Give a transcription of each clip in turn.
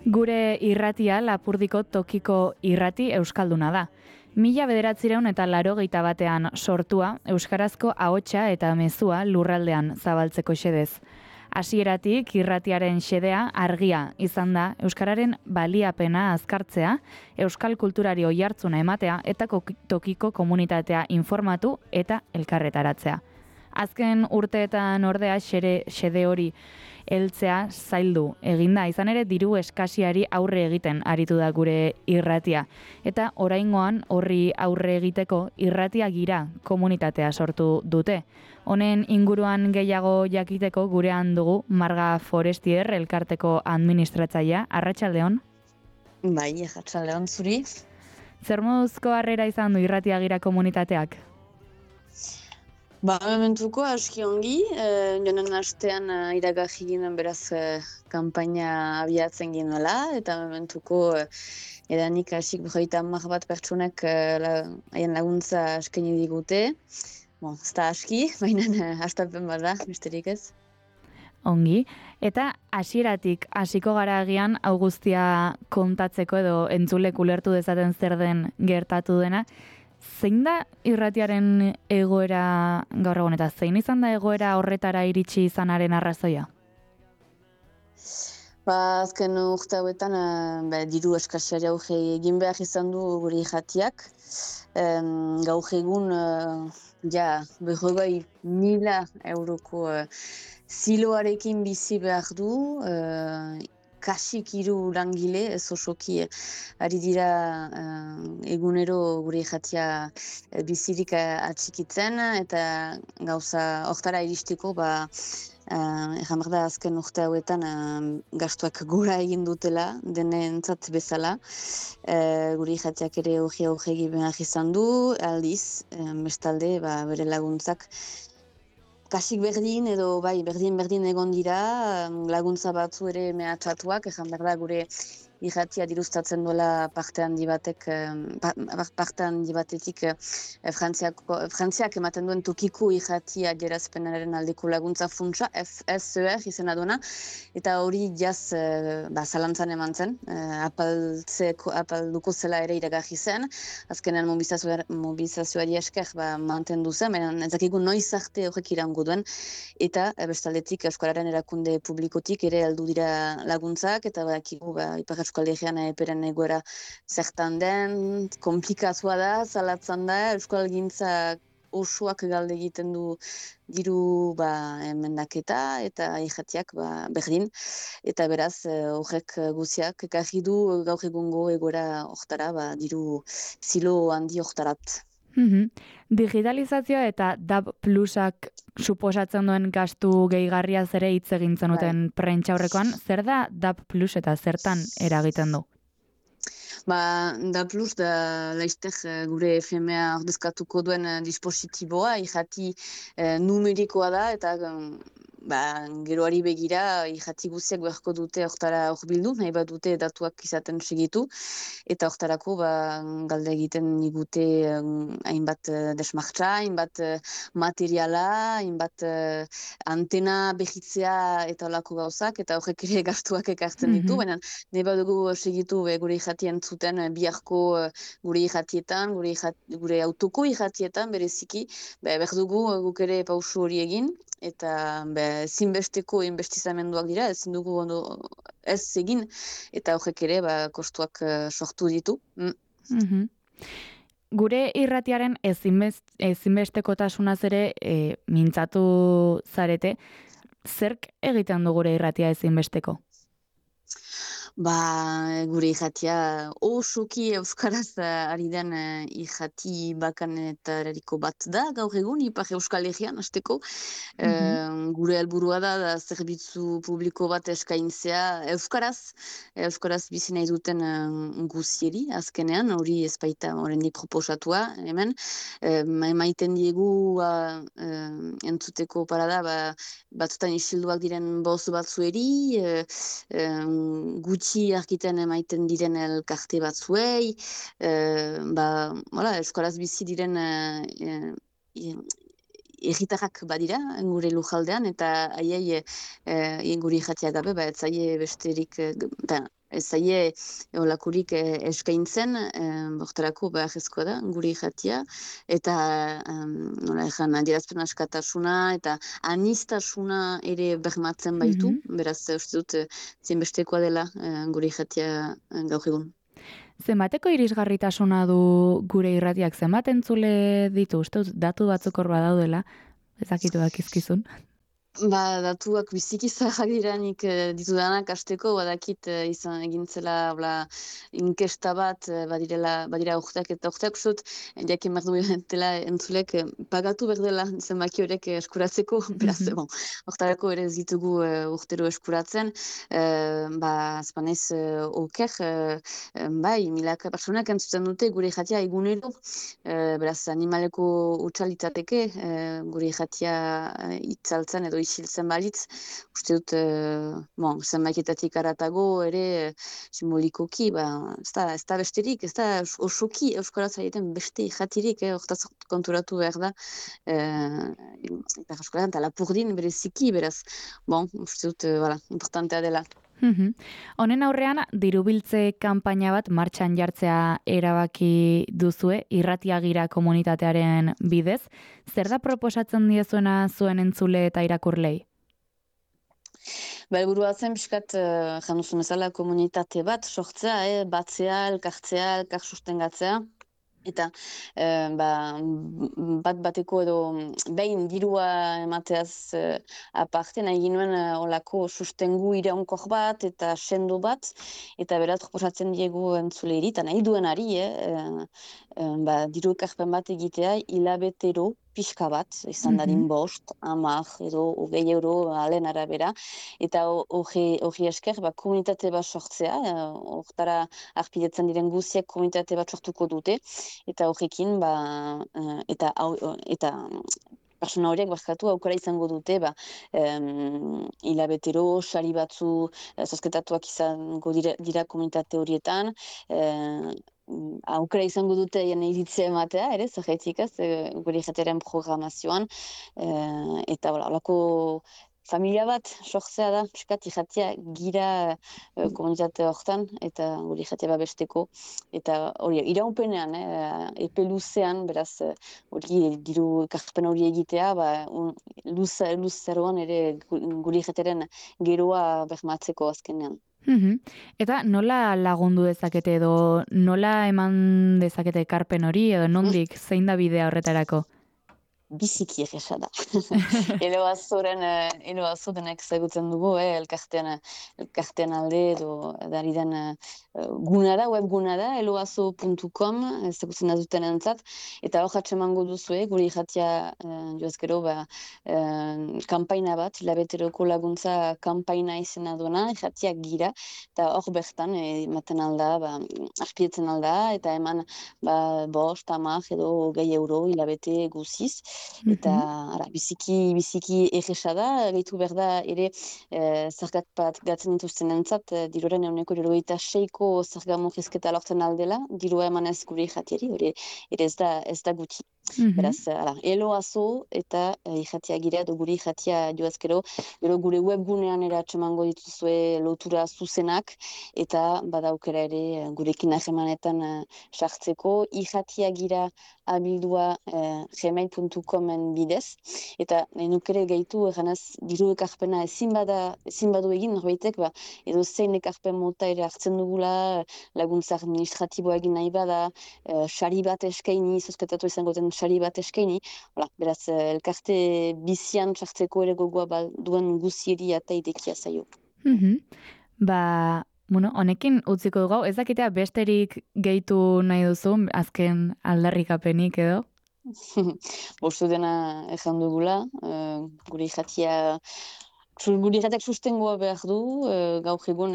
Gure irratia Lapurdiko tokiko irrati euskalduna da. 1981 sortua, euskarazko ahotsa eta mezua lurraldean zabaltzeko xedez. Hasieratik irratiaren xedea argia izan da euskararen baliapena azkartzea, euskal kulturari oihartzuna ematea eta tokiko komunitatea informatu eta elkarretaratzea. Azken urteetan ordea xede hori heltzea zaildu eginda, izan ere diru eskasiari aurre egiten aritu da gure irratia. Eta oraingoan horri aurre egiteko irratia gira komunitatea sortu dute. Honen inguruan gehiago jakiteko gurean dugu Marga Forestier elkarteko administratzailea. Arratsaldeon. Bai, arratsaldeon zuri. Zer moduzko harrera izan du irratia gira komunitateak? Mementuko aski ongi, jonen astean iragarri ginen beraz kanpaina abiatzen ginela, eta mementuko edanik hasik 30 bat pertsonek haien laguntza eskaini digute. Ez da aski, baina hastapen bat da, besterik ez. Ongi, eta hasieratik hasiko gara agian hau guztia kontatzeko edo entzulek ulertu dezaten zer den gertatu dena. Zein da irratiaren egoera gaur egun eta zein izan da egoera horretara iritsi izanaren arrazoia? Azken urte hauetan diru eskasiari aurre egin behar izan du gure irratiak. Gaur egun 100.000 euroko ziloarekin bizi behar du, kasik 3 langile, ez osoki ari dira egunero gure irratia bizirik atxikitzen, eta gauza hortara iristeko erran behar da azken urte hauetan gastuak gora egin dutela, denentzat bezala. Gure irratiak ere hori behar izan du, aldiz, bestalde bere laguntzak kasik berdin edo berdin egon dira, laguntza batzu ere mehatxatuak, ezan behar da gure irratia dirustatzen duela parte handi batetik Frantziak ematen duen tokiko irratia gerazpenaren aldeko laguntza funtsa, FSER izena duena, eta hori jaz zalantzan eman zen, apalduko zela ere iragarri zen, azkenean mobilizazioari esker mantendu zen, baina ez dakigu noiz arte horrek irango duen, eta bestaldetik Euskararen erakunde publikotik ere heldu dira laguntzak, eta badakigu Ipar Euskal Herrian eperen egoera zertan den, komplikatua da, zalatzen da, Euskalgintza osoak galde egiten du diru emendaketa eta irratiak berdin, eta beraz horrek guziak ekarri du gaur egungo egoera hortara, diru zilo handi hortarat. Digitalizazioa eta DAB Plusak suposatzen duen gastu gehigarriaz ere hitz egin zenuten prentsaurrekoan, zer da DAB Plus eta zertan eragiten du? DAB Plus da laizter gure FMA ordezkatuko duen dispositiboa, irrati numerikoa da, eta geroari begira irrati guziak beharko dute hortara horbildu, nahi bat dute datuak izaten segitu, eta hortarako galde egiten digute hainbat desmartza, hainbat materiala, hainbat antena behitzea eta olako gauzak, eta horrek ere gastuak ekartzen ditu, baina nahi bat dugu segitu gure irratien zuten biharko gure irratietan, gure autoko irratietan bereziki, behar dugu guk ere pausu hori egin, eta zinbesteko inbestizamenduak dira, ezin dugu ez egin, eta horrek ere kostuak sortu ditu. Gure irratiaren ezinbestekotasunaz ere mintzatu zarete, zerk egiten du gure irratia ezinbesteko? Gure irratia osoki euskaraz ari den irrati bakanetariko bat da, gaur egun, Ipar Euskal Herrian, hasteko. Gure helburua da zerbitzu publiko bat eskaintzea euskaraz bizi nahi duten guzieri, azkenean, hori ez baita oraindik proposatua, hemen. Emaiten diegu entzuteko parada, batzutan isilduak diren boz batzueri, gutxi arkiten emaiten diren elkarte batzuei, euskaraz bizi diren erritarrak badira gure lujaldean, eta haiei gure irratia gabe, etzaie besterik ez zaie olakurik eskaintzen, hortarako beharrezkoa da, gure irratia, eta nola ezan, adierazpen askatasuna eta anistasuna ere bermatzen baitu, beraz, uste dut, zinbestekoa dela gure irratia gaur egun. Zenbateko irisgarritasuna du gure irratiak, zenbat entzule ditu, uste dut, datu batzuk hor badaudela, ezakitu dakizkizun. Ba, datuak biziki zaharrak dira nik ditudanak hasteko, badakit izan egintzela inkesta bat, badira urteak eta urteak zut, jakin behar duela entzulek pagatu behar dela zenbaki horiek eskuratzeko, beraz, bon, hortarako ere ez ditugu urtero eskuratzen, azpanez oker, bai, milaka personak entzuten dute gure jatia egunero, beraz, animaleko utxalitzateke gure jatia itzaltzen edo isiltzen balitz, uste dut, zenbaiketatik aratago ere simbolikoki, ez da besterik, ez da osoki euskaraz egiten beste jatirik, hortaz konturatu behar da, eta euskaraz eta lapurdin bereziki, beraz, uste dut, importantea dela. Honen aurrean, dirubiltze kanpaina bat martxan jartzea erabaki duzue, irratiagira komunitatearen bidez. Zer da proposatzen diezuena zuen entzule eta irakurlei? Helburua zen pixkat januzun ezala komunitate bat sortzea, batzea, elkartzea, elkar sustengatzea. Eta bat bateko edo behin dirua emateaz aparte nahi ginuen olako sustengu iraunkor bat eta sendo bat, eta berat proposatzen diegu entzuleiri, eta nahi duenari, diru ekarpen bat egitea hilabetero pixka bat, izan dadin 5, 10 edo 20 euro alen arabera, eta hori esker komunitate bat sortzea, hortara arpidetzen diren guziek komunitate bat sortuko dute, eta horrekin, eta persona horiek barkatu aukera izango dute, hilabetero, sari batzu zozketatuak izango dira komunitate horietan, aukera izango dute iritzia ematea, ere, zerretzikaz, gure jateren programazioan, eta holako familia bat sortzea da, piskat irratia gira komunitate horretan, eta gure jatea babesteko, eta hori, iraupenean, epe luzean, beraz, hori diru ekarpen hori egitea, luzeroan ere gure jateren geroa bermatzeko azkenean. Eta nola lagundu dezakete edo nola eman dezakete ekarpen hori edo nondik zein da bidea horretarako? Biziki egesa da. Eloazo denek zagutzen dugu, elkartean alde edo dari den guna da, webguna da, eloazo.com, zagutzen da duten entzat, eta hor atsemango duzu, gure irratia joazkero, kampaina bat, hilabeteroko laguntza kampaina izena duena, irratia gira, eta hor bertan, ematen alda, arpietzen alda, eta eman 5, 10 edo 20 euro hilabete guziz, eta biziki egesa da, gehitu behar da ere zergat bat gatzen dituzten entzat, diruaren 96ko zerga murrizketa lortzen aldela, dirua eman ez gure irratiari, hori ere ez da guti. Beraz, eloazo eta irratia gira, edo gure irratia joazkero, gure webgunean ere atsemango dituzue lotura zuzenak, eta badaukera ere gurekin ahemanetan sartzeko, irratia gira abildua gmail.comen bidez, eta nukere gehitu eganaz diru ekarpena ezin badu egin norbaitek, edo zein ekarpen mota ere hartzen dugula, laguntza administratiboa egin nahi bada, sari bat eskaini, zozketatu izango den sari bat eskaini, beraz, elkarte bizian sartzeko ere gogoa duen guzieri eta idekia zaio. Honekin utziko dugu, ez dakitea besterik gehitu nahi duzu, azken aldarrikapenik edo? Bostu dena ezan dugula, gure irratiak sustengoa behar du, gaur egun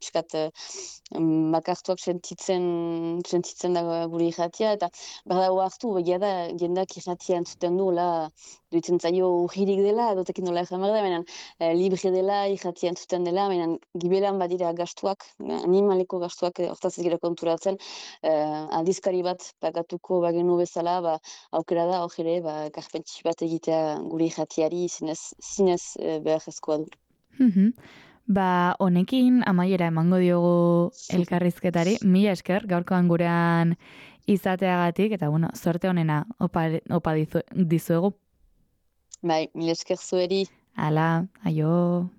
piskat makartuak sentitzen da gure irratia, eta behar dago hartu, begia da, jendak irratia entzuten du, duitzen zaio urririk dela, dotekin nola ezan behar da, baina libre dela, irratia entzuten dela, baina gibelan badira gastuak, animaleko gastuak hortaz ez gira konturatzen, aldizkari bat pagatuko bagenu bezala, aukera da, hor ere, karpentsi bat egitea gure irratiari zinez behar ezkoa du. Ba, honekin amaiera emango diogu elkarrizketari. Mila esker, gaurkoan gurean izateagatik, eta bueno, sorte honena opa dizuegu. Bai, mil esker zueri. Hala, aio.